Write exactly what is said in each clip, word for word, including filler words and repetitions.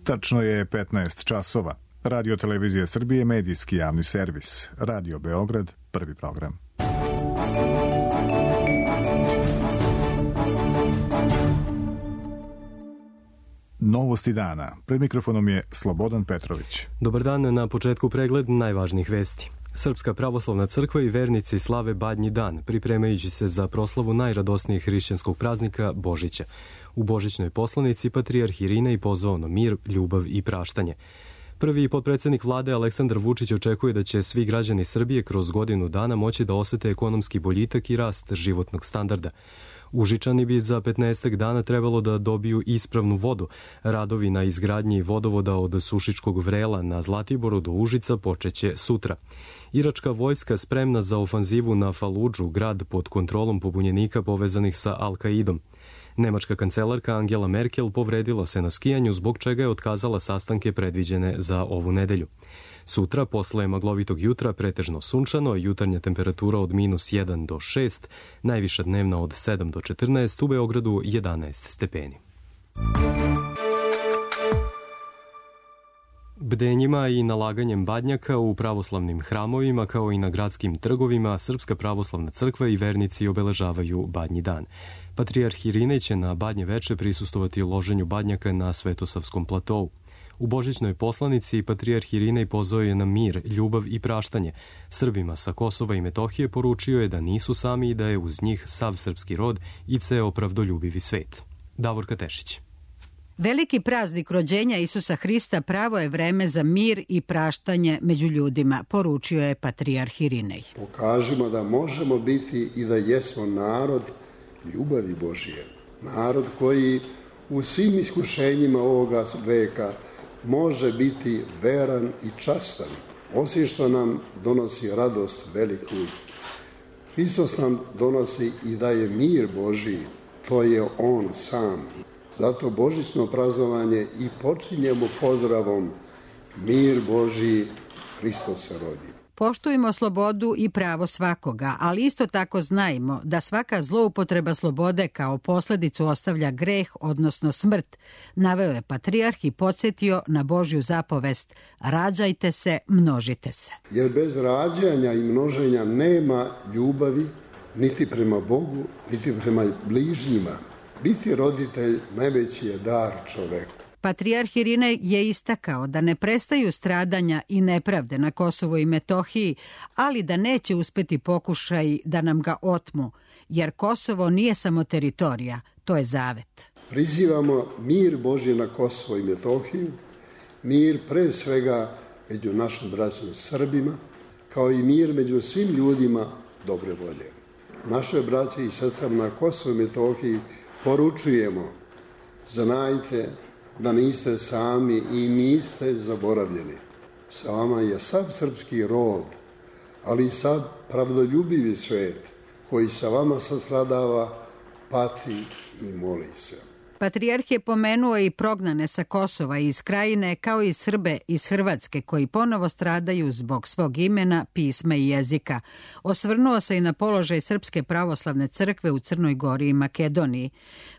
Tačno je petnaest časova. Radio Televizija Srbije, medijski javni servis. Radio Beograd, prvi program. Novosti dana. Pred mikrofonom je Slobodan Petrović. Dobar dan, na početku pregled najvažnijih vesti. Srpska pravoslavna crkva i vernici slave Badnji dan, pripremajući se za proslavu najradosnijeg hrišćanskog praznika Božića. U božićnoj poslanici patrijarh Irinej pozvao na mir, ljubav i praštanje. Prvi potpredsednik vlade Aleksandar Vučić očekuje da će svi građani Srbije kroz godinu dana moći da osete ekonomski boljitak i rast životnog standarda. Užičani bi za petnaestak dana trebalo da dobiju ispravnu vodu. Radovi na izgradnji vodovoda od Sušičkog Vrela na Zlatiboru do Užica počeće sutra. Iračka vojska spremna za ofanzivu na Faludžu, grad pod kontrolom pobunjenika povezanih sa Al-Kaidom. Nemačka kancelarka Angela Merkel povredila se na skijanju, zbog čega je otkazala sastanke predviđene za ovu nedelju. Sutra, posle maglovitog jutra, pretežno sunčano, jutarnja temperatura od minus jedan do šest, najviša dnevna od sedam do četrnaest, u Beogradu jedanaest stepeni. Bdenjima i nalaganjem badnjaka u pravoslavnim hramovima, kao i na gradskim trgovima, Srpska pravoslavna crkva i vernici obeležavaju Badnji dan. Patrijarh Irinej će na Badnje veče prisustovati loženju badnjaka na Svetosavskom platovu. U božićnoj poslanici patrijarh Irinej pozvao je na mir, ljubav i praštanje. Srbima sa Kosova i Metohije poručio je da nisu sami i da je uz njih sav srpski rod i ceo pravdoljubivi svet. Davorka Tešić. Veliki praznik rođenja Isusa Hrista pravo je vreme za mir i praštanje među ljudima, poručio je patrijarh Irinej. Pokažimo da možemo biti i da jesmo narod ljubavi Božije. Narod koji u svim iskušenjima ovoga veka može biti veran i častan. Osim što nam donosi radost veliku, Hristos nam donosi i daje mir Božiji. To je On sam. Zato božićno praznovanje i počinjemo pozdravom mir Božiji, Hristos se rodi. Poštujmo slobodu i pravo svakoga, ali isto tako znajmo da svaka zloupotreba slobode kao posledicu ostavlja greh, odnosno smrt, naveo je patrijarh i podsjetio na Božju zapovest: rađajte se, množite se. Jer bez rađanja i množenja nema ljubavi niti prema Bogu, niti prema bližnjima. Biti roditelj najveći je dar čoveku. Patrijarh Irinej je istakao da ne prestaju stradanja i nepravde na Kosovu i Metohiji, ali da neće uspeti pokušaj da nam ga otmu, jer Kosovo nije samo teritorija, to je zavet. Prizivamo mir Božji na Kosovo i Metohiju, mir pre svega među našim braćom Srbima, kao i mir među svim ljudima dobre volje. Naše braće i sestre na Kosovu i Metohiji poručujemo: znajte da niste sami i niste zaboravljeni. Sa vama je sav srpski rod, ali i sav pravdoljubivi svet koji sa vama sastradava, pati i moli se. Patrijarh je pomenuo i prognane sa Kosova i iz Krajine, kao i Srbe iz Hrvatske koji ponovo stradaju zbog svog imena, pisma i jezika. Osvrnuo se i na položaj Srpske pravoslavne crkve u Crnoj Gori i Makedoniji.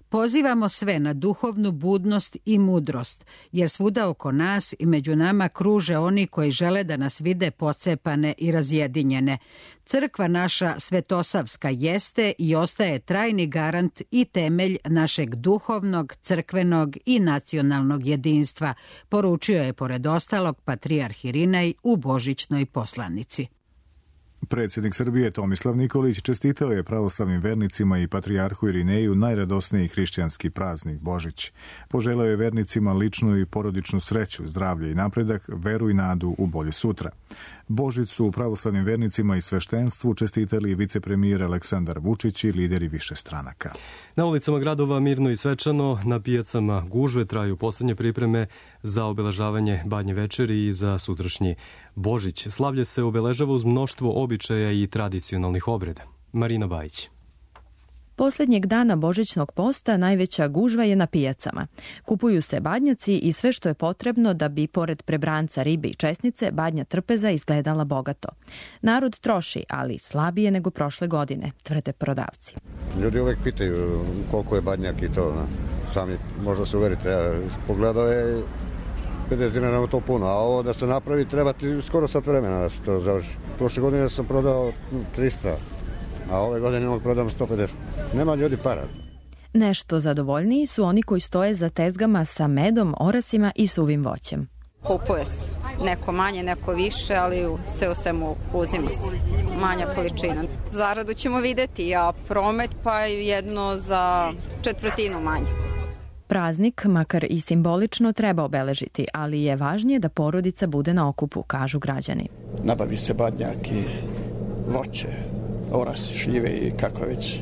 Pozivamo sve na duhovnu budnost i mudrost, jer svuda oko nas i među nama kruže oni koji žele da nas vide pocepane i razjedinjene. Crkva naša Svetosavska jeste i ostaje trajni garant i temelj našeg duhovnog, crkvenog i nacionalnog jedinstva, poručio je pored ostalog patrijarh Irinej u božićnoj poslanici. Predsjednik Srbije Tomislav Nikolić čestitao je pravoslavnim vernicima i patrijarhu Irineju najradosniji hrišćanski praznik Božić. Poželeo je vernicima ličnu i porodičnu sreću, zdravlje i napredak, veru i nadu u bolje sutra. Božić su pravoslavnim vernicima i sveštenstvu čestitali vicepremijer Aleksandar Vučić i lideri više stranaka. Na ulicama gradova mirno i svečano, na pijacama gužve, traju poslednje pripreme za obeležavanje Badnje večeri i za sutrašnji Božić. Slavlje se obeležava uz mnoštvo običaja i tradicionalnih obreda. Marina Bajić. Poslednjeg dana božićnog posta najveća gužva je na pijacama. Kupuju se badnjaci i sve što je potrebno da bi, pored prebranca, ribe i česnice, badnja trpeza izgledala bogato. Narod troši, ali slabije nego prošle godine, tvrde prodavci. Ljudi uvek pitaju koliko je badnjak i to. Sami možda se uverite. Pogledao je pedeset dinara nam to puno, a ovo da se napravi treba ti skoro sat vremena da se to završi. Prošle godine sam prodao trista, a ove godine mogu prodam sto pedeset. Nema ljudi para. Nešto zadovoljniji su oni koji stoje za tezgama sa medom, orasima i suvim voćem. Kupuje se. Neko manje, neko više, ali sve u svemu uzima se. Manja količina. Zaradu ćemo videti, a promet pa jedno za četvrtinu manje. Praznik, makar i simbolično, treba obeležiti, ali je važnije da porodica bude na okupu, kažu građani. Nabavi se badnjak i voće, orasi, šljive i kako već.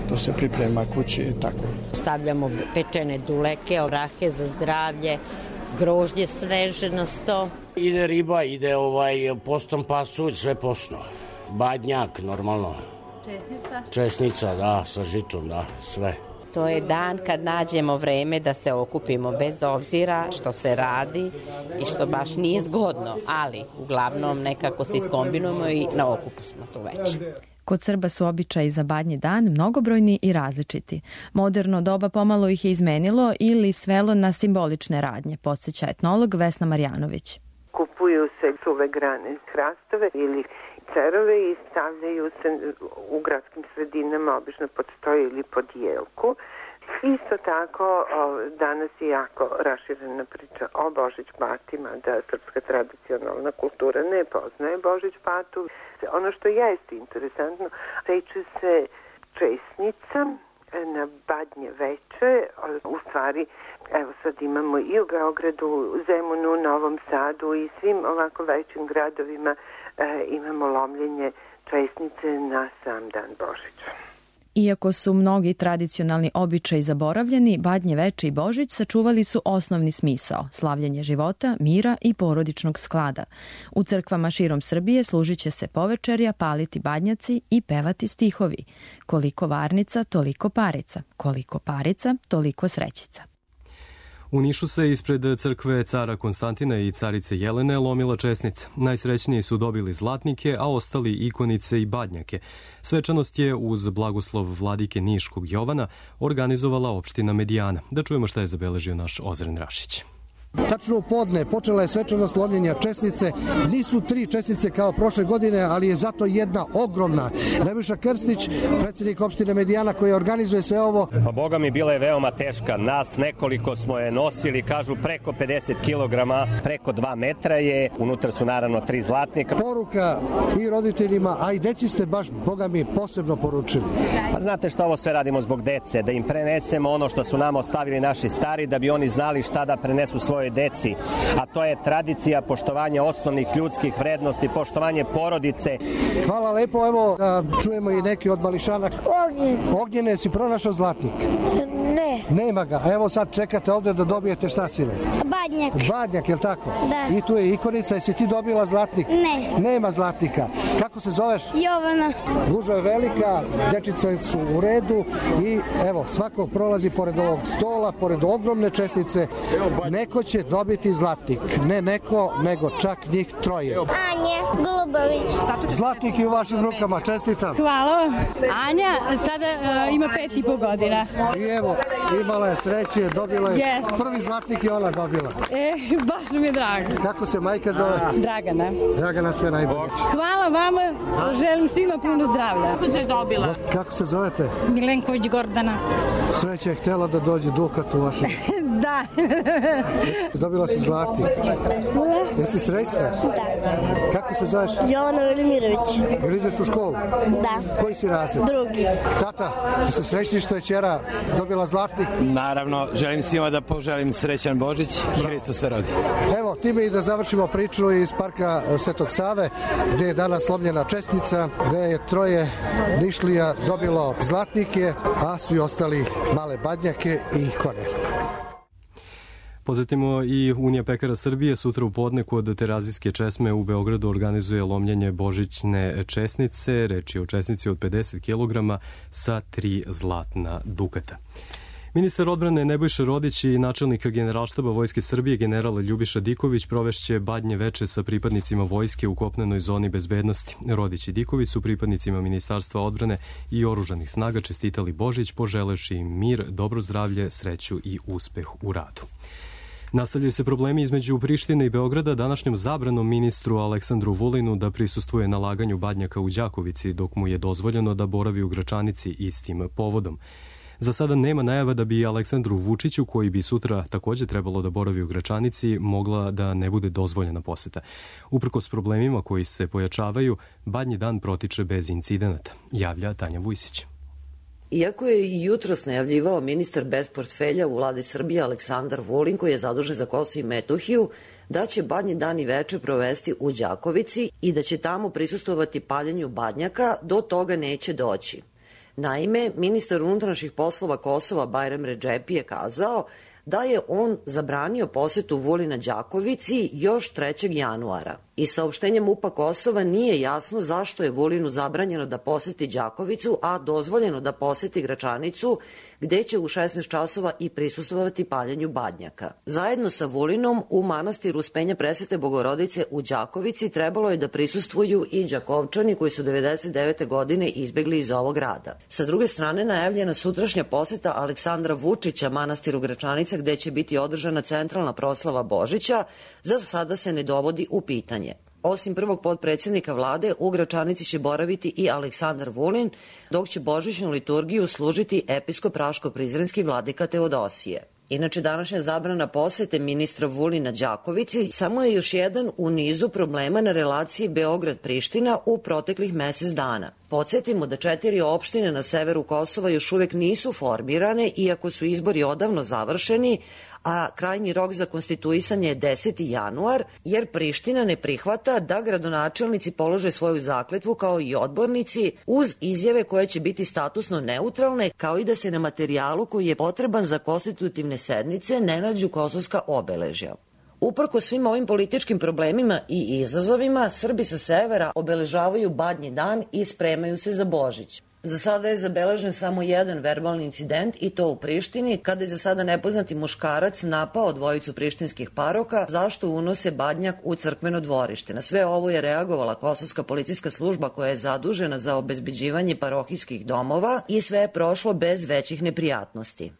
To se priprema kući i tako. Stavljamo pečene duleke, orahe za zdravlje, grožđe sveže na sto. Ide riba, ide ovaj postom pasulj, sve posno. Badnjak, normalno. Česnica? Česnica, da, sa žitom, da, sve. To je dan kad nađemo vreme da se okupimo, bez obzira što se radi i što baš nije zgodno, ali uglavnom nekako se iskombinujemo i na okupu smo tu već. Kod Srba su običaji za Badnji dan mnogobrojni i različiti. Moderno doba pomalo ih je izmenilo ili svelo na simbolične radnje, podsjeća etnolog Vesna Marjanović. Kupuju se suve grane, hrastove ili cerove i stavljaju se u gradskim sredinama, obično pod stoj ili pod jelku. Isto tako, danas je jako raširena priča o Božić patima, da srpska tradicionalna kultura ne poznaje Božić patu. Ono što jeste interesantno, seče se česnica na Badnje veče, u stvari, evo sad imamo i u Beogradu, Zemunu, Novom Sadu i svim ovako većim gradovima e, imamo lomljenje česnice na sam dan Božića. Iako su mnogi tradicionalni običaji zaboravljeni, Badnje veče i Božić sačuvali su osnovni smisao, slavljenje života, mira i porodičnog sklada. U crkvama širom Srbije služit će se povečerja, paliti badnjaci i pevati stihovi. Koliko varnica, toliko parica. Koliko parica, toliko srećica. U Nišu se ispred crkve cara Konstantina i carice Jelene lomila česnica. Najsrećniji su dobili zlatnike, a ostali ikonice i badnjake. Svečanost je uz blagoslov vladike Niškog Jovana organizovala opština Medijana. Da čujemo šta je zabeležio naš Ozren Rašić. Tačno u podne počela je svečanost lomljenja česnice. Nisu tri česnice kao prošle godine, ali je zato jedna ogromna. Nebojša Krstić, predsjednik opštine Medijana koji organizuje sve ovo. Pa Boga mi bila je veoma teška. Nas nekoliko smo je nosili, kažu preko pedeset kilograma, preko dva metra je. Unutra su naravno tri zlatnika. Poruka i roditeljima, a i deci ste baš, Boga mi, posebno poručili. Pa znate što ovo sve radimo zbog dece, da im prenesemo ono što su nam ostavili naši stari, da bi oni znali šta da prenesu svoje deci, a to je tradicija poštovanja osnovnih ljudskih vrednosti, poštovanje porodice. Hvala lepo, evo čujemo i neki od mališana. Ognjen. Ognjene, si pronašao zlatnik? Ne. Nema ga, evo sad čekate ovde da dobijete šta sine? Badnjak. Badnjak, je li tako? Da. I tu je ikonica, jesi ti dobila zlatnik? Ne. Nema zlatnika. Kako se zoveš? Jovana. Gužva je velika, dječice su u redu i evo, svako prolazi pored ovog stola, pored ogromne česnice, neko će dobiti zlatnik. Ne neko, nego čak njih troje. Anja Golubović. Zlatnik je u vašim rukama, čestitam. Hvala. Anja sada uh, ima pet i po godina. I evo, imala je sreće, dobila je yes. Prvi zlatnik i ona dobila. E, baš nam je drago. Kako se majka zove? Dragana. Dragana, sve najbolje. Hvala vama, želim svima puno zdravlja. Kako je dobila? Kako se zovete? Milenković Gordana. Sreća je htjela da dođe Dukat u vašem. Da. Dobila si zlatnik. Jesi srećna? Da. Kako se zoveš? Jovana Velimirović. Ili ideš u školu? Da. Koji si razred? Drugi. Tata, jesi srećni što je ćera dobila zlatnik? Naravno, želim svima da poželim srećan Božić. Hristos se rodi. Evo, time i da završimo priču iz parka Svetog Save, gde je danas slomljena čestica, gde je troje Nišlija dobilo zlatnike, a svi ostali male badnjake i ikone. Podsjetimo i Unija pekara Srbije sutra u podne kod Terazijske česme u Beogradu organizuje lomljenje božićne česnice. Reč je o česnici od pedeset kilograma sa tri zlatna dukata. Ministar odbrane Nebojša Rodić i načelnik Generalštaba Vojske Srbije general Ljubiša Diković provešće Badnje veče sa pripadnicima vojske u kopnenoj zoni bezbednosti. Rodić i Diković su pripadnicima Ministarstva odbrane i oružanih snaga čestitali Božić, poželevši im mir, dobro zdravlje, sreću i uspeh u radu. Nastavljaju se problemi između Prištine i Beograda današnjom zabranom ministru Aleksandru Vulinu da prisustvuje na laganju badnjaka u Đakovici, dok mu je dozvoljeno da boravi u Gračanici istim povodom. Za sada nema najava da bi Aleksandru Vučiću, koji bi sutra također trebalo da boravi u Gračanici, mogla da ne bude dozvoljena poseta. Uprkos problemima koji se pojačavaju, Badnji dan protiče bez incidenata, javlja Tanja Vujsić. Iako je i jutros najavljivao ministar bez portfelja u vladi Srbije Aleksandar Vulin, koji je zadužen za Kosovo i Metohiju, da će Badnji dan i veče provesti u Đakovici i da će tamo prisustvovati paljenju badnjaka, do toga neće doći. Naime, ministar unutrašnjih poslova Kosova Bajram Redžepi je kazao da je on zabranio posetu Vulina Đakovici još trećeg januara. I saopštenjem MUP-a Kosova nije jasno zašto je Vulinu zabranjeno da poseti Đakovicu, a dozvoljeno da poseti Gračanicu, gde će u šesnaest časova i prisustvovati paljenju badnjaka. Zajedno sa Vulinom u manastiru Uspenja Presvete Bogorodice u Đakovici trebalo je da prisustvuju i Đakovčani koji su devedeset devete godine izbegli iz ovog grada. Sa druge strane, najavljena sutrašnja poseta Aleksandra Vučića manastiru Gračanica, gde će biti održana centralna proslava Božića, za sada se ne dovodi u pitanje. Osim prvog potpredsjednika vlade, u Gračanici će boraviti i Aleksandar Vulin, dok će božićnu liturgiju služiti episkop Raško-Prizrenski vladika Teodosije. Inače, današnja zabrana posete ministra Vulina Đakovici samo je još jedan u nizu problema na relaciji Beograd-Priština u proteklih mesec dana. Podsjetimo da četiri opštine na severu Kosova još uvek nisu formirane, iako su izbori odavno završeni, a krajnji rok za konstituisanje je deseti januar, jer Priština ne prihvata da gradonačelnici polože svoju zakletvu kao i odbornici, uz izjave koje će biti statusno neutralne, kao i da se na materijalu koji je potreban za konstitutivne sednice ne nađu kosovska obeležja. Uprko svim ovim političkim problemima i izazovima, Srbi sa severa obeležavaju Badnji dan i spremaju se za Božić. Za sada je zabeležen samo jedan verbalni incident, i to u Prištini, kada je za sada nepoznati muškarac napao dvojicu prištinskih paroka zašto unose badnjak u crkveno dvorište. Na sve ovo je reagovala kosovska policijska služba koja je zadužena za obezbeđivanje parohijskih domova i sve je prošlo bez većih neprijatnosti.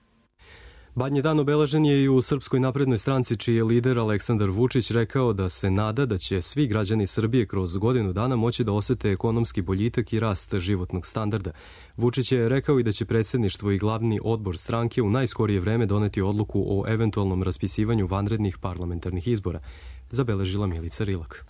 Badnji dan obeležen je i u Srpskoj naprednoj stranci, čiji je lider Aleksandar Vučić rekao da se nada da će svi građani Srbije kroz godinu dana moći da osete ekonomski boljitak i rast životnog standarda. Vučić je rekao i da će predsjedništvo i glavni odbor stranke u najskorije vreme doneti odluku o eventualnom raspisivanju vanrednih parlamentarnih izbora, zabeležila Milica Rilak.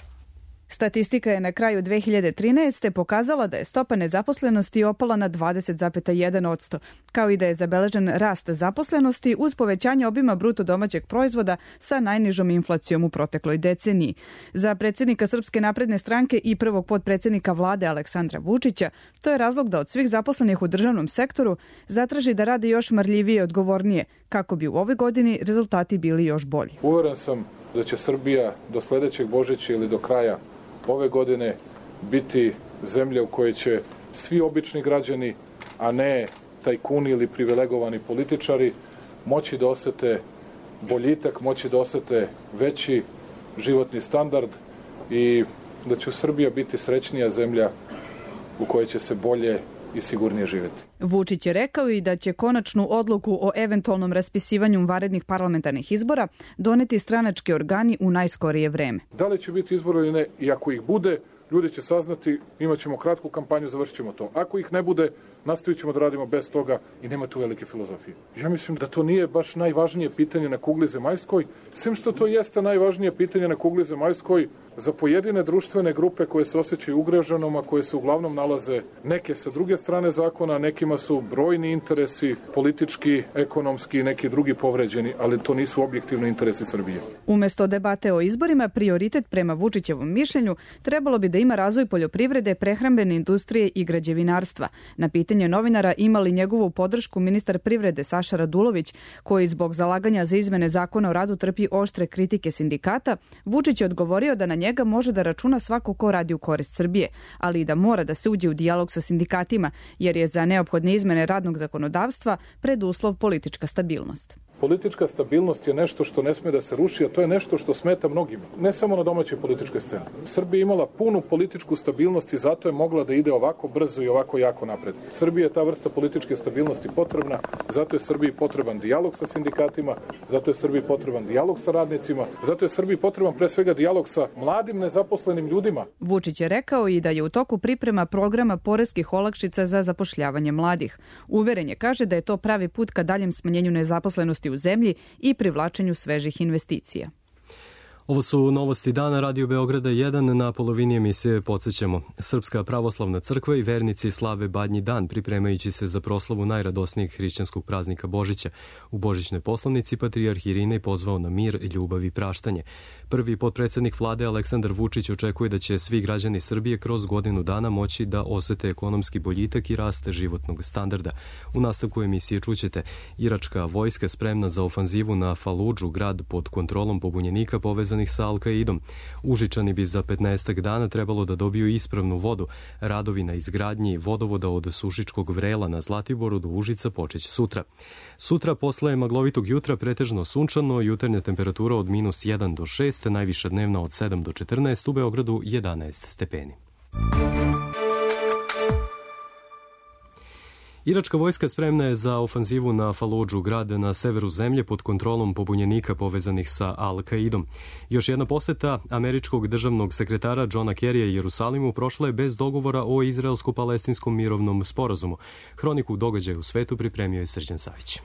Statistika je na kraju dve hiljade trinaeste. pokazala da je stopa nezaposlenosti opala na dvadeset zarez jedan posto, kao i da je zabeležen rast zaposlenosti uz povećanje obima bruto domaćeg proizvoda sa najnižom inflacijom u protekloj deceniji. Za predsjednika Srpske napredne stranke i prvog potpredsjednika vlade Aleksandra Vučića, to je razlog da od svih zaposlenih u državnom sektoru zatraži da rade još marljivije i odgovornije, kako bi u ovoj godini rezultati bili još bolji. Uveren sam da će Srbija do sledećeg Božića ili do kraja ove godine biti zemlja u kojoj će svi obični građani, a ne tajkuni ili privilegovani političari, moći da osete boljitak, moći da osete veći životni standard i da će Srbija biti srećnija zemlja u kojoj će se bolje i sigurnije živjeti. Vučić je rekao i da će konačnu odluku o eventualnom raspisivanju vanrednih parlamentarnih izbora doneti stranački organi u najskorije vreme. Da li će biti izbora ili ne, i ako ih bude, ljudi će saznati, imat ćemo kratku kampanju, završit ćemo to. Ako ih ne bude, nastavit ćemo da radimo bez toga i nema tu velike filozofije. Ja mislim da to nije baš najvažnije pitanje na kugli zemaljskoj, sem što to jeste najvažnije pitanje na kugli zemaljskoj za pojedine društvene grupe koje se osjećaju ugroženom, a koje se uglavnom nalaze neke sa druge strane zakona, nekima su brojni interesi, politički, ekonomski i neki drugi povređeni, ali to nisu objektivni interesi Srbije. Umesto debate o izborima, prioritet prema Vučićevom mišljenju trebalo bi da ima razvoj poljoprivrede, prehrambene industrije i građevinarstva. Na pitanje novinara ima li njegovu podršku ministar privrede Saša Radulović, koji zbog zalaganja za izmene zakona o radu trpi oštre kritike sindikata, Vučić je odgovorio da na njega može da računa svako ko radi u korist Srbije, ali i da mora da se uđe u dijalog sa sindikatima, jer je za neophodne izmene radnog zakonodavstva preduslov politička stabilnost. Politička stabilnost je nešto što ne sme da se ruši, a to je nešto što smeta mnogima. Ne samo na domaćoj političkoj sceni. Srbija imala punu političku stabilnost i zato je mogla da ide ovako brzo i ovako jako napred. Srbija je ta vrsta političke stabilnosti potrebna, zato je Srbiji potreban dijalog sa sindikatima, zato je Srbiji potreban dijalog sa radnicima, zato je Srbiji potreban pre svega dijalog sa mladim nezaposlenim ljudima. Vučić je rekao i da je u toku priprema programa poreskih olakšica za zapošljavanje mladih. Uveren je, kaže, da je to pravi put ka daljem smanjenju nezaposlenosti u zemlji i privlačenju svežih investicija. Ovo su novosti dana Radio Beograda jedan. Na polovini emisije podsjećamo. Srpska pravoslavna crkva i vernici slave Badnji dan, pripremajući se za proslavu najradosnijeg hrišćanskog praznika Božića. U božićnoj poslanici patrijarh Irinej pozvao na mir, ljubav i praštanje. Prvi potpredsednik vlade Aleksandar Vučić očekuje da će svi građani Srbije kroz godinu dana moći da osete ekonomski boljitak i rast životnog standarda. U nastavku emisije čućete: iračka vojska spremna za ofanzivu na Faludžu, grad pod kontrolom pobunjenika povezan sa Al-Kaidom. Užičani bi za petnaestak dana trebalo da dobiju ispravnu vodu. Radovi na izgradnji vodovoda od Sušičkog vrela na Zlatiboru do Užica počeće sutra. Sutra posle maglovitog jutra pretežno sunčano, jutarnja temperatura od minus jedan do šest, najviša dnevna od sedam do četrnaest, u Beogradu jedanaest stepeni. Iračka vojska spremna je za ofanzivu na Faludžu, grad na severu zemlje pod kontrolom pobunjenika povezanih sa Al-Kaidom. Još jedna poseta američkog državnog sekretara Johna Kerrya Jerusalimu prošla je bez dogovora o izraelsko-palestinskom mirovnom sporazumu. Hroniku događaja u svetu pripremio je Srđan Savić.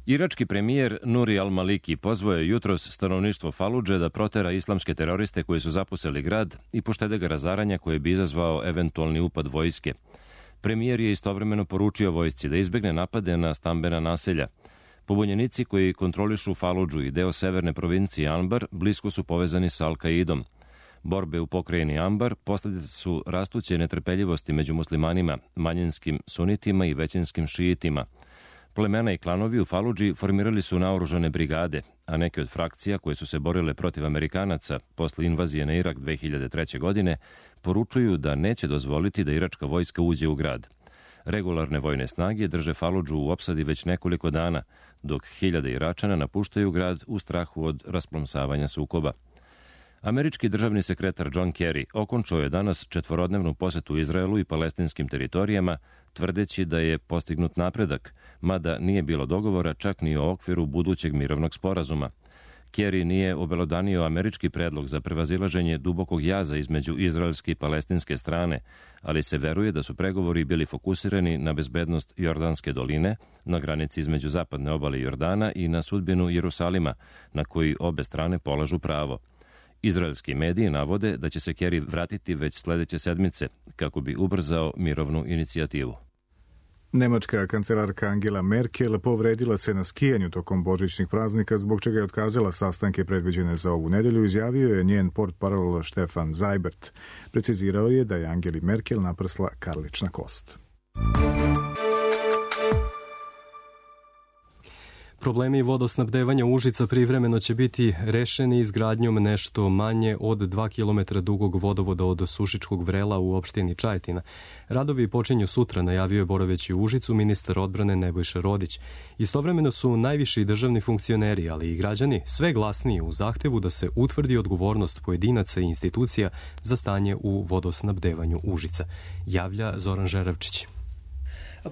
Irački premijer Nuri al-Maliki pozvao je jutros stanovništvo Faludže da protera islamske teroriste koji su zapuseli grad i poštede ga razaranja koje bi izazvao eventualni upad vojske. Premijer je istovremeno poručio vojsci da izbegne napade na stambena naselja. Pobunjenici koji kontrolišu Faludžu i deo severne provincije Anbar blisko su povezani sa Al-Kaidom. Borbe u pokrajini Anbar posljedica su rastuće netrpeljivosti među muslimanima, manjinskim sunitima i većinskim šiitima. Plemena i klanovi u Faludži formirali su naoružane brigade, a neke od frakcija koje su se borile protiv Amerikanaca posle invazije na Irak dve hiljade treće. godine poručuju da neće dozvoliti da iračka vojska uđe u grad. Regularne vojne snage drže Faludžu u opsadi već nekoliko dana, dok hiljade Iračana napuštaju grad u strahu od rasplomsavanja sukoba. Američki državni sekretar John Kerry okončao je danas četvorodnevnu posetu Izraelu i palestinskim teritorijama, tvrdeći da je postignut napredak, mada nije bilo dogovora čak ni o okviru budućeg mirovnog sporazuma. Kerry nije obelodanio američki predlog za prevazilaženje dubokog jaza između izraelske i palestinske strane, ali se veruje da su pregovori bili fokusirani na bezbednost Jordanske doline, na granici između zapadne obale Jordana i na sudbinu Jerusalima, na koji obe strane polažu pravo. Izraelski mediji navode da će se Kerry vratiti već sledeće sedmice, kako bi ubrzao mirovnu inicijativu. Nemačka kancelarka Angela Merkel povredila se na skijanju tokom božićnih praznika, zbog čega je otkazala sastanke predviđene za ovu nedelju, izjavio je njen portparol Stefan Seibert. Precizirao je da je Angeli Merkel naprsla karlična kost. Problemi vodosnabdevanja Užica privremeno će biti rešeni izgradnjom nešto manje od dva kilometra dugog vodovoda od Sušičkog vrela u opštini Čajetina. Radovi počinju sutra, najavio je boraveći u Užicu ministar odbrane Nebojša Rodić. Istovremeno su najviši državni funkcioneri, ali i građani, sve glasniji u zahtevu da se utvrdi odgovornost pojedinaca i institucija za stanje u vodosnabdevanju Užica. Javlja Zoran Žeravčić.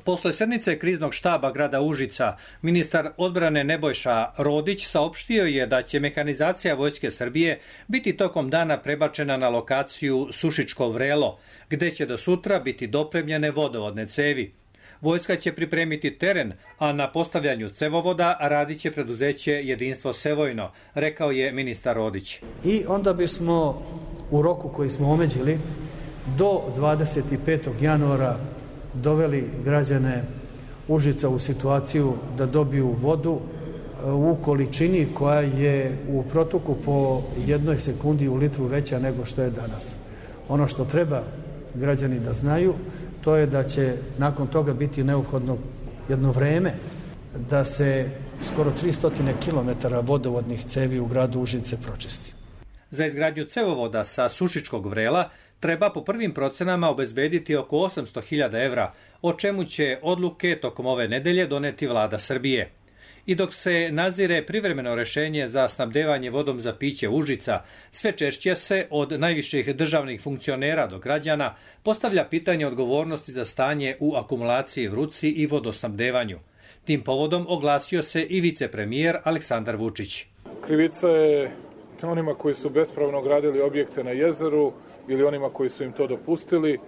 Posle sednice kriznog štaba grada Užica, ministar odbrane Nebojša Rodić saopštio je da će mehanizacija Vojske Srbije biti tokom dana prebačena na lokaciju Sušičko vrelo, gde će do sutra biti dopremljene vodovodne cevi. Vojska će pripremiti teren, a na postavljanju cevovoda radit će preduzeće Jedinstvo Sevojno, rekao je ministar Rodić. I onda bismo u roku koji smo omeđili do dvadeset petog januara doveli građane Užica u situaciju da dobiju vodu u količini koja je u protoku po jednoj sekundi u litru veća nego što je danas. Ono što treba građani da znaju, to je da će nakon toga biti neophodno jedno vreme da se skoro tristo kilometara vodovodnih cevi u gradu Užice pročisti. Za izgradnju cevovoda sa Sušičkog vrela treba po prvim procenama obezbediti oko osamsto hiljada evra, o čemu će odluke tokom ove nedelje doneti vlada Srbije. I dok se nazire privremeno rešenje za snabdevanje vodom za piće Užica, sve češće se od najviših državnih funkcionera do građana postavlja pitanje odgovornosti za stanje u akumulaciji Vrutci i vodosnabdevanju. Tim povodom oglasio se i vicepremijer Aleksandar Vučić. Krivica je onima koji su bespravno gradili objekte na jezeru ili onima koji su im to dopustili,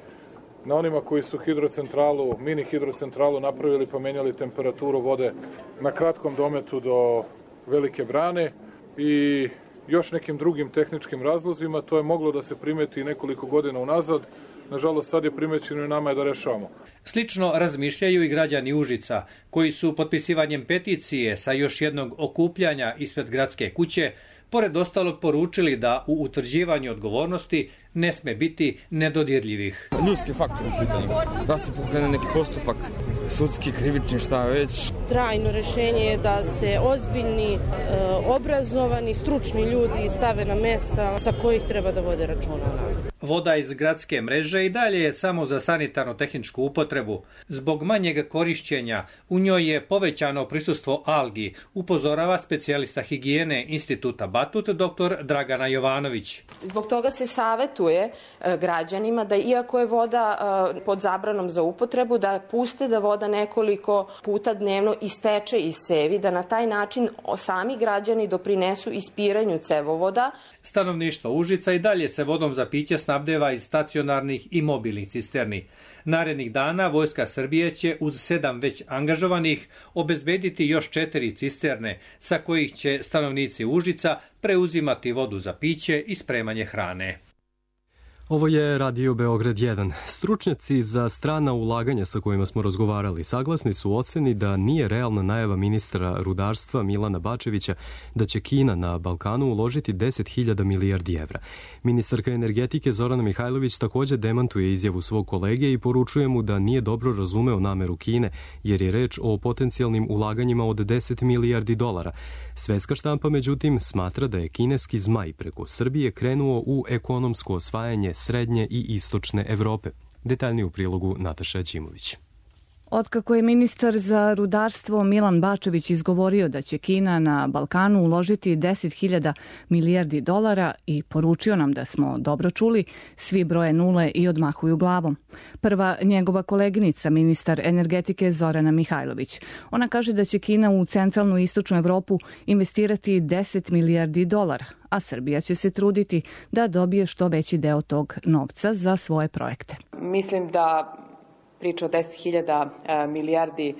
na onima koji su hidrocentralu, mini hidrocentralu napravili pa menjali temperaturu vode na kratkom dometu do Velike Brane i još nekim drugim tehničkim razlozima. To je moglo da se primeti nekoliko godina unazad. Nažalost, sad je primećeno i nama je da rešavamo. Slično razmišljaju i građani Užica, koji su potpisivanjem peticije sa još jednog okupljanja ispred gradske kuće, pored ostalog poručili da u utvrđivanju odgovornosti ne sme biti nedodirljivih. Ljudski faktor u pitanju. Da se pokrene neki postupak, sudski, krivični, šta već. Trajno rešenje je da se ozbiljni, obrazovani, stručni ljudi stave na mesta sa kojih treba da vode računa. Voda iz gradske mreže i dalje je samo za sanitarno-tehničku upotrebu. Zbog manjeg korišćenja u njoj je povećano prisustvo algi, upozorava specijalista higijene Instituta Batut dr. Dragana Jovanović. Zbog toga se savetuje građanima da iako je voda pod zabranom za upotrebu, da puste da voda nekoliko puta dnevno isteče iz cevi, da na taj način sami građani doprinesu ispiranju cevovoda. Stanovništvo Užica i dalje se vodom za piće snabdeva iz stacionarnih i mobilnih cisterni. Narednih dana Vojska Srbije će uz sedam već angažovanih obezbediti još četiri cisterne, sa kojih će stanovnici Užica preuzimati vodu za piće i spremanje hrane. Ovo je Radio Beograd jedan. Stručnjaci za strana ulaganja sa kojima smo razgovarali saglasni su u oceni da nije realna najava ministra rudarstva Milana Bačevića da će Kina na Balkanu uložiti deset hiljada milijardi evra. Ministarka energetike Zorana Mihajlović također demantuje izjavu svog kolege i poručuje mu da nije dobro razumeo nameru Kine, jer je reč o potencijalnim ulaganjima od deset milijardi dolara. Svetska štampa, međutim, smatra da je kineski zmaj preko Srbije krenuo u ekonomsko osvajanje srednje i istočne Evrope. Detaljnije u prilogu Nataša Ćimović. Otkako je ministar za rudarstvo Milan Bačević izgovorio da će Kina na Balkanu uložiti deset hiljada milijardi dolara i poručio nam da smo dobro čuli, svi broje nule i odmahuju glavom. Prva njegova koleginica, ministar energetike Zorana Mihajlović. Ona kaže da će Kina u centralnu i istočnu Evropu investirati deset milijardi dolara, a Srbija će se truditi da dobije što veći deo tog novca za svoje projekte. Mislim da priča o deset hiljada milijardi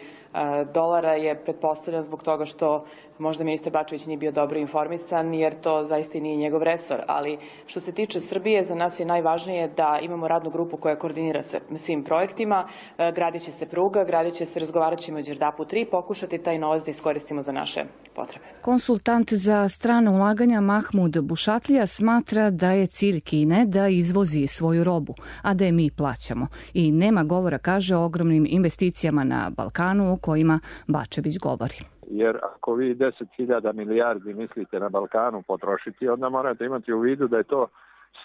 dolara je pretpostavljena zbog toga što možda ministar Bačević nije bio dobro informisan, jer to zaista nije njegov resor. Ali što se tiče Srbije, za nas je najvažnije da imamo radnu grupu koja koordinira sa svim projektima. Gradit će se pruga, gradit će se, razgovarat ćemo o Đerdapu tri, pokušati taj novac da iskoristimo za naše potrebe. Konsultant za strane ulaganja Mahmud Bušatlija smatra da je cilj Kine da izvozi svoju robu, a da je mi plaćamo. I nema govora, kaže, o ogromnim investicijama na Balkanu o kojima Bačević govori. Jer ako vi deset hiljada milijardi mislite na Balkanu potrošiti, onda morate imati u vidu da je to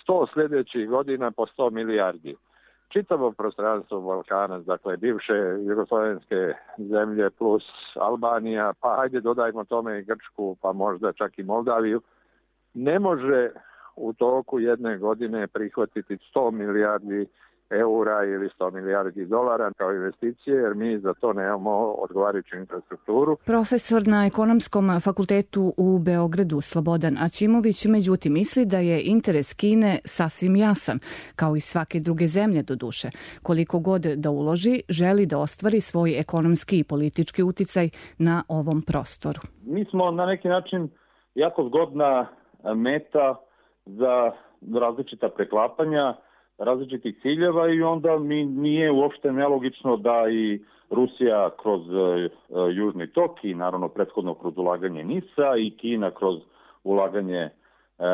sto sljedećih godina po sto milijardi. Čitavo prostranstvo Balkana, dakle bivše jugoslovenske zemlje plus Albanija, pa ajde dodajmo tome i Grčku, pa možda čak i Moldaviju, ne može u toku jedne godine prihvatiti sto milijardi eura ili sto milijardi dolara kao investicije, jer mi za to nemamo odgovarajuću infrastrukturu. Profesor na Ekonomskom fakultetu u Beogradu Slobodan Aćimović međutim misli da je interes Kine sasvim jasan, kao i svake druge zemlje do duše. Koliko god da uloži, želi da ostvari svoj ekonomski i politički uticaj na ovom prostoru. Mi smo na neki način jako zgodna meta za različita preklapanja, različitih ciljeva i onda mi nije uopšte nelogično da i Rusija kroz e, Južni tok i naravno prethodno kroz ulaganje NIS-a i Kina kroz ulaganje e,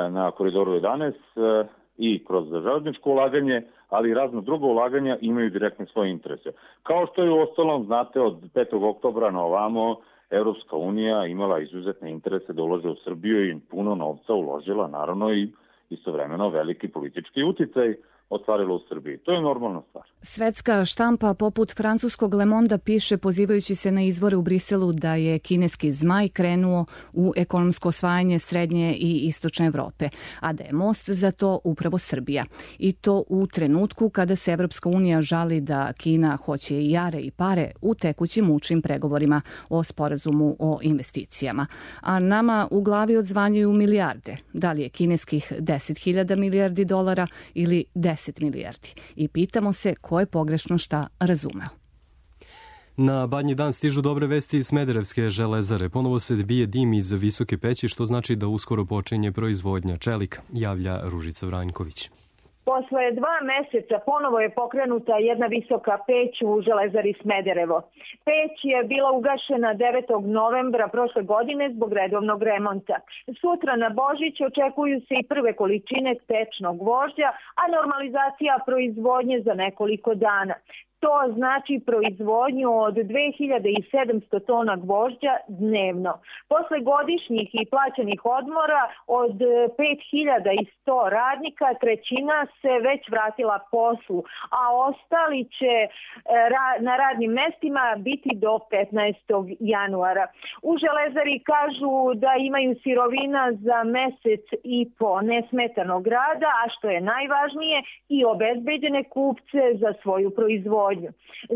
na Koridoru jedanaest e, i kroz železničko ulaganje, ali i razno drugo ulaganja imaju direktne svoje interese. Kao što je u ostalom, znate, od petog oktobra na ovamo Europska unija imala izuzetne interese da ulaže u Srbiju i puno novca uložila, naravno i istovremeno veliki politički uticaj ostvarilo u Srbiji. To je normalna stvar. Svetska štampa poput francuskog Le Monda piše, pozivajući se na izvore u Briselu, da je kineski zmaj krenuo u ekonomsko osvajanje srednje i istočne Evrope, a da je most za to upravo Srbija. I to u trenutku kada se Evropska unija žali da Kina hoće i jare i pare u tekućim mučnim pregovorima o sporazumu o investicijama. A nama u glavi odzvanjuju milijarde. Da li je kineskih deset hiljada milijardi dolara ili deset milijardi? I pitamo se ko je pogrešno šta razumeo. Na Badnji dan stižu dobre vesti iz Smederevske železare. Ponovo se vije dim iz visoke peći, što znači da uskoro počinje proizvodnja čelika, javlja Ružica Vranjković. Posle dva meseca ponovo je pokrenuta jedna visoka peć u železari Smederevo. Peć je bila ugašena devetog novembra prošle godine zbog redovnog remonta. Sutra na Božić očekuju se i prve količine tečnog gvožđa, a normalizacija proizvodnje za nekoliko dana. To znači proizvodnju od dve hiljade sedamsto tona gvožđa dnevno. Posle godišnjih i plaćenih odmora od pet hiljada sto radnika trećina se već vratila poslu, a ostali će na radnim mestima biti do petnaestog januara. U železari kažu da imaju sirovina za mesec i po nesmetanog rada, a što je najvažnije, i obezbeđene kupce za svoju proizvodnju.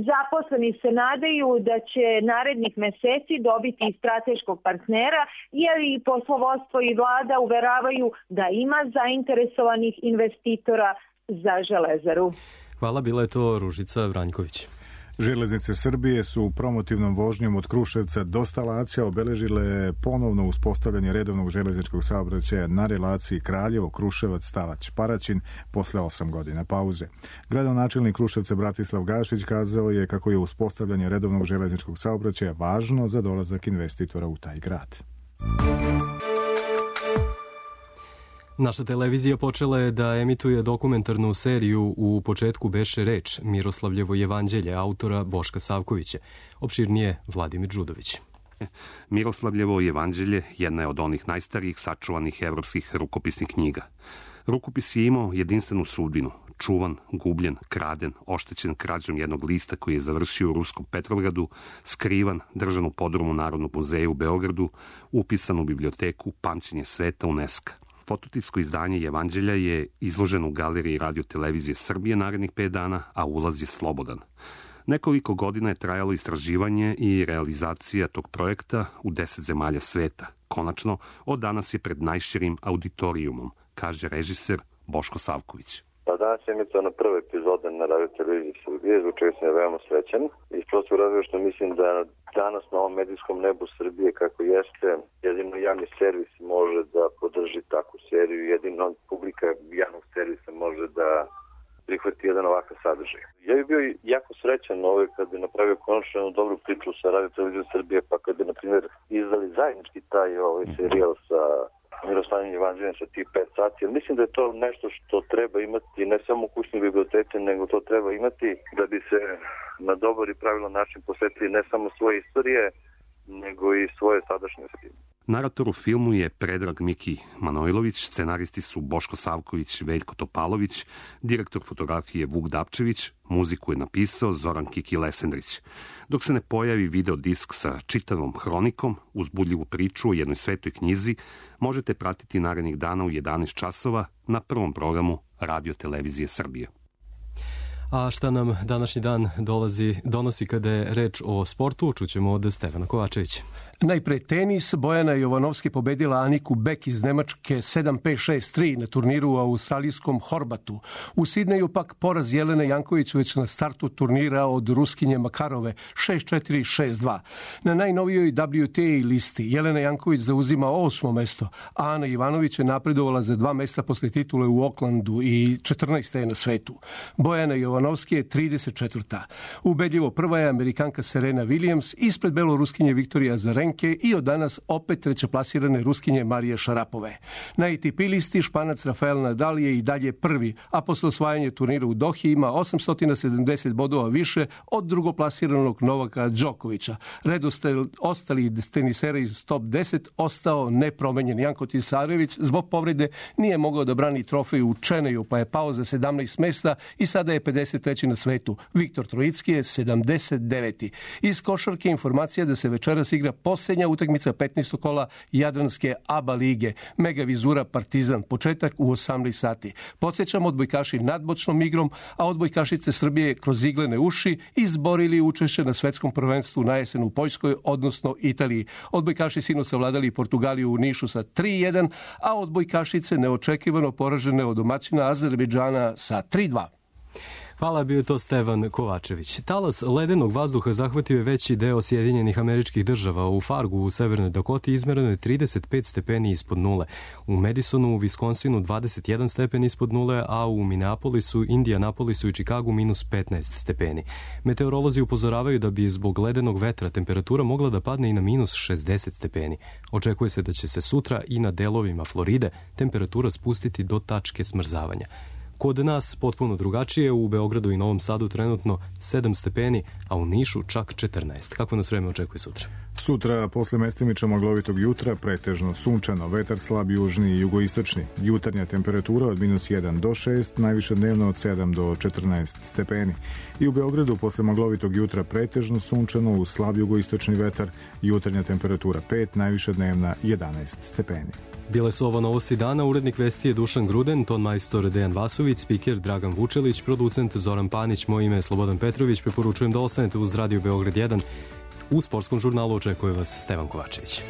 Zaposleni se nadaju da će narednih meseci dobiti strateškog partnera, jer i poslovodstvo i vlada uveravaju da ima zainteresovanih investitora za železaru. Hvala, bila je to Ružica Vranjković. Železnice Srbije su promotivnom vožnjom od Kruševca do Stalaća obeležile ponovno uspostavljanje redovnog železničkog saobraćaja na relaciji Kraljevo, Kruševac, Stalać, Paraćin posle osam godina pauze. Gradonačelnik Kruševca Bratislav Gašić kazao je kako je uspostavljanje redovnog železničkog saobraćaja važno za dolazak investitora u taj grad. Naša televizija počela je da emituje dokumentarnu seriju U početku beše reč, Miroslavljevo jevanđelje, autora Boška Savkovića. Opširnije Vladimir Đudović. Miroslavljevo jevanđelje jedna je od onih najstarijih sačuvanih evropskih rukopisnih knjiga. Rukopis je imao jedinstvenu sudbinu, čuvan, gubljen, kraden, oštećen krađom jednog lista koji je završio u ruskom Petrovgradu, skrivan, držan u podrumu Narodnog muzeja u Beogradu, upisan u biblioteku Pamćenje sveta UNESCO. Fototipsko izdanje Jevanđelja je izloženo u galeriji Radio Televizije Srbije narednih pet dana, a ulaz je slobodan. Nekoliko godina je trajalo istraživanje i realizacija tog projekta u deset zemalja sveta. Konačno, od danas je pred najširim auditorijumom, kaže režiser Boško Savković. Pa danas je emitovana prva epizoda na Radio Televiziji Srbije, zbog čega sam je veoma srećan. Iz prostog razloga što mislim da danas na ovom medijskom nebu Srbije kako jeste, jedino javni servis može da podrži takvu seriju, jedino publika javnog servisa može da prihvati jedan ovakav sadržaj. Ja bih bio jako srećan ovaj kad bi napravio konačno jednu dobru priču sa Radio Televizijom Srbije, pa kad bi, na primjer, izdali zajednički taj ovaj serijal sa Miroslavljem jevanđeljem sa tih pet sati. Mislim da je to nešto što treba imati ne samo u kućnoj biblioteci, nego to treba imati da bi se na dobar i pravilan način posvetili ne samo svoje istorije, nego i svoje sadašnjosti. Narator u filmu je Predrag Miki Manojlović, scenaristi su Boško Savković, Veljko Topalović, direktor fotografije Vuk Dapčević, muziku je napisao Zoran Kiki Lesendrić. Dok se ne pojavi video disk sa čitavom hronikom, uzbudljivu priču o jednoj svetoj knjizi, možete pratiti narednih dana u jedanaest časova na prvom programu Radio Televizije Srbije. A šta nam današnji dan dolazi, donosi kada je reč o sportu, čućemo od Stefana Kovačevića. Najpre tenis. Bojana Jovanovski pobedila Aniku Bek iz Nemačke sedam pet šest tri na turniru u australijskom Horbatu. U Sidneju pak poraz Jelene Janković već na startu turnira od Ruskinje Makarove šest četiri šest dva. Na najnovijoj W T A listi Jelena Janković zauzima osmo mesto, a Ana Ivanović je napredovala za dva mesta posle titule u Oklandu i četrnaesta je na svetu. Bojana Jovanovski je trideset četvrta. Ubedljivo prva je Amerikanka Serena Williams ispred beloruskinje Viktorija Azarenka Slovenke i od danas opet trećeplasirane Ruskinje Marije Šarapove. Na A T P listi Španac Rafael Nadal je i dalje prvi, a posle osvajanja turnira u Dohi ima osamsto sedamdeset bodova više od drugoplasiranog Novaka Đokovića. Redostel ostalih tenisera iz top deset ostao nepromenjen. Janko Tisarević zbog povrede nije mogao da brani trofej u Čeneju, pa je pao za sedamnaest mesta i sada je pedeset treći na svetu. Viktor Trojicki je sedamdeset deveti. Iz košarke informacija da se večeras igra posljednja utakmica petnaestog kola Jadranske A B A lige. Mega Vizura Partizan, početak u osamnaest sati. Podsjećam, odbojkaši nadmoćnom igrom, a odbojkašice Srbije kroz iglene uši izborili učešće na svetskom prvenstvu na jesen u Poljskoj, odnosno Italiji. Odbojkaši sinoć savladali Portugaliju u Nišu sa tri jedan, a odbojkašice neočekivano poražene od domaćina Azerbejdžana sa tri dva. Hvala, bio je to Stevan Kovačević. Talas ledenog vazduha zahvatio je veći deo Sjedinjenih Američkih Država. U Fargu u Severnoj Dakoti izmereno je trideset pet stepeni ispod nule. U Madisonu u Viskonsinu dvadeset jedan stepen ispod nule, a u Minneapolisu, Indianapolisu i Chicagu minus petnaest stepeni. Meteorolozi upozoravaju da bi zbog ledenog vetra temperatura mogla da padne i na minus šezdeset stepeni. Očekuje se da će se sutra i na delovima Floride temperatura spustiti do tačke smrzavanja. Kod nas potpuno drugačije, u Beogradu i Novom Sadu trenutno sedam stepeni, a u Nišu čak četrnaest. Kako nas vreme očekuje sutra? Sutra, posle mestimično maglovitog jutra, pretežno sunčano, vetar slab južni i jugoistočni. Jutarnja temperatura od minus jedan do šest, najviše dnevno od sedam do četrnaest stepeni. I u Beogradu, posle maglovitog jutra, pretežno sunčano, uz slab jugoistočni vetar, jutarnja temperatura pet, najviše dnevna jedanaest stepeni. Bile su ovo novosti dana, urednik vesti je Dušan Gruden, ton majstor Dejan Vasović, spiker Dragan Vučelić, producent Zoran Panić, moje ime je Slobodan Petrović, preporučujem da ostanete uz Radio Beograd jedan. U sportskom žurnalu očekuje vas Stevan Kovačević.